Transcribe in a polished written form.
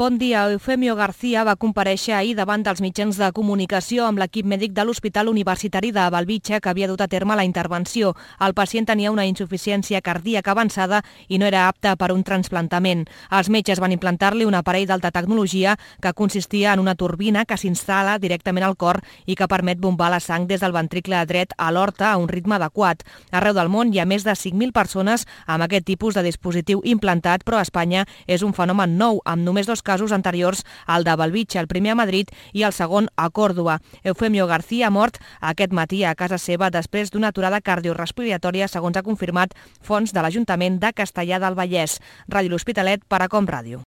Bon dia. Eufemio García va comparèixer ahir davant dels mitjans de comunicació amb l'equip mèdic de l'Hospital Universitari de Belvitge que havia dut a terme la intervenció. El pacient tenia una insuficiència cardíaca avançada i no era apte per un trasplantament. Els metges van implantar-li un aparell d'alta tecnologia que consistia en una turbina que s'instal·la directament al cor i que permet bombar la sang des del ventricle dret a l'horta a un ritme adequat. Arreu del món hi ha més de 5.000 persones amb aquest tipus de dispositiu implantat, però a Espanya és un fenomen nou, amb només 2 casos anteriors al de Belvitge, el primer a Madrid i el segon a Còrdova. Eufemio García ha mort aquest matí a casa seva després d'una aturada cardiorrespiratòria, segons ha confirmat fonts de l'Ajuntament de Castellar del Vallès. Ràdio L'Hospitalet per a Com Ràdio.